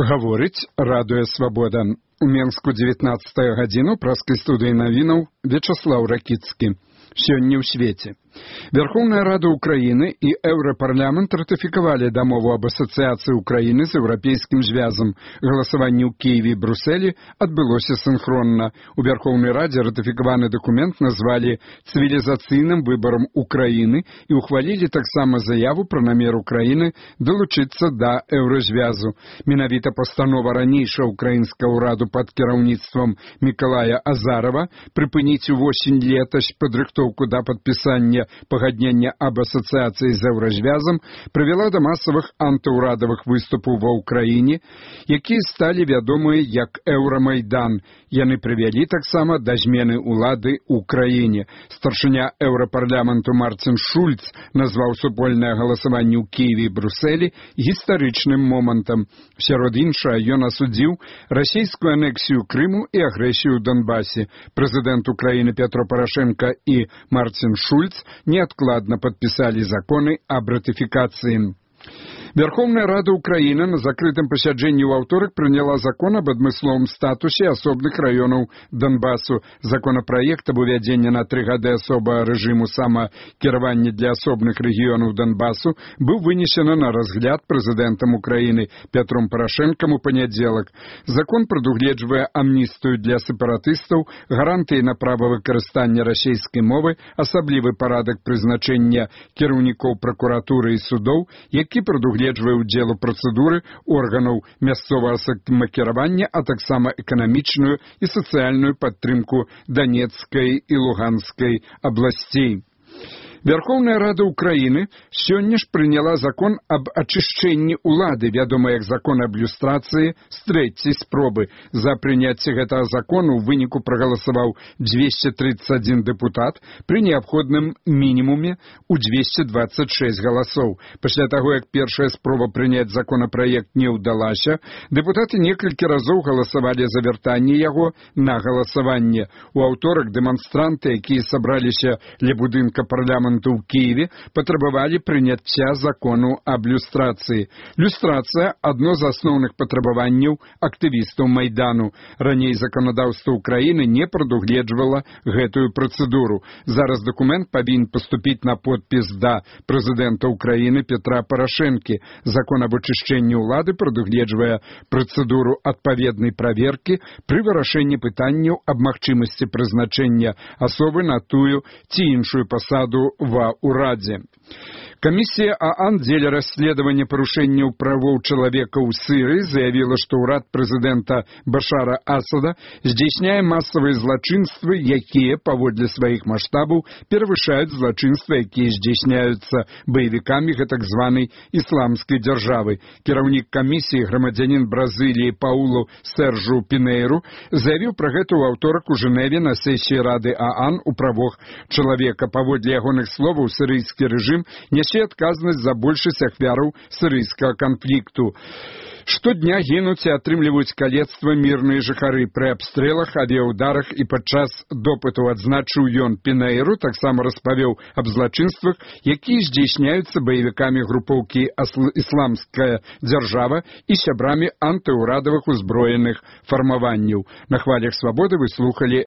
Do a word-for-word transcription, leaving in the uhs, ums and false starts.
Гаворыць радыё Свабода. У Менску дзевятнаццатая гадзіну праскай студыі навінаў Вячаслаў Ракіцкі. Сёння ў свеце. Верховная Рада Украины и Европарламент ратификовали домову об ассоциации Украины с Европейским звязом. Голосование в Киеве и Брюсселе отбылось синхронно. У Верховной Раде ратификованный документ назвали цивилизационным выбором Украины и ухвалили так само заяву про намер Украины долучиться до Еврозвязу. Менавіта постанова ранейшего украинского Раду под кіраўніцтвом Миколая Азарова припынить увосень летась подрыхтовку до подписания пагаднення об ассоциации з Еврозвязом привела до массовых антыурадовых выступов во Украине, якія стали вядомыя як Евромайдан. Яны привели таксама до змены улады ў краіне. Старшыня Европарламенту Мартин Шульц назваў супольнае галасаванне ў Киеве и Брюсселе гістарычным момантам. Сярод іншага ён асудзіў расійскую анексію Крыму и агрэсію ў Донбассе. Президент Украины Петро Порошенко и Мартин Шульц неоткладно подписали законы об ратификации. Верховная Рада Украины на закрытом посяджэнні ў аўторак прыняла закон об адмысловым статусе асобных раёнаў Донбассу. Законопроект об увядзенні на тры гады асобага рэжыму самакіравання для асобных рэгіёнаў Донбассу быў вынесены на разгляд прэзідэнтам Украины Петром Порошенком у панядзелак. Закон прадугледжвае амністыю для сепаратыстаў, гарантыі на права выкарыстання расійскай мовы, асаблівы парадак прызначэння кіраўнікоў пракуратуры і судоў, які прадугледжвае удзел у працэдуры органаў мясцовага самакіравання, а таксама эканамічную і сацыяльную падтрымку Донецкай і Луганскай абласцей. Верховная Рада Украины сёння ж прыняла закон об ачышчэнні улады, вядомы як закон об люстрацыі, з трэцяй спробы. За прыняцце гэтага закону ў выніку прагаласаваў двести тридцать один депутат пры неабходным мінімуме ў двести двадцать шесть галасоў. Пасля таго, як першая спроба прыняць законапраект не ўдалася, дэпутаты некалькі разоў галасавалі за вяртанне яго на галасаванне. У аўторак дэманстранты, якія сабраліся ля будынка парламента ў Киеве, патрабавалі прыняцця закону об люстрацыі. Люстрацыя – адно з асноўных патрабаванняў актывістаў Майдану. Раней заканадаўства Украины не прадугледжвала гэтую працэдуру. Зараз документ павінен паступіць на подпіс да прэзідэнта Украины Петра Порошенки. Закон об ачышчэнні ўлады прадугледжвае працэдуру адпаведнай праверкі пры вырашэнні пытанняў аб магчымасці прызначэння асобы на тую ці іншую пасаду ва ўрадзе. Комиссия ООН дзеля расследования парушэнняў правоў чалавека ў Сырыі заявила, что ўрад президента Башара Асада здзяйсняе массовые злачынствы, якія, паводле сваіх маштабаў, перавышаюць злачынствы, якія здзяйсняюцца баевікамі гэтак званай ісламскай дзяржавы. Кіраўнік камісіі, грамадзянін Бразыліі Паулу Сержу Пінейру, заявіў пра гэта ў аўторак у Жэневе на сесіі Рады ООН у правах чалавека. Паводле ягоных словаў, сырыйскі рэжым нясе адказнасць за большасць ахвяраў сырыйскага канфлікту. Штодня гінуць і атрымліваюць калецтва мірныя жыхары пры абстрэлах, авіяўдарах і падчас допыту, адзначыў ён. Пінейру таксама распавёў аб злачынствах, якія здзяйсняюцца баевікамі групоўкі «Ісламская дзяржава» і сябрамі антыўрадавых узброеных фармаванняў. На хвалях свабоды вы слухалі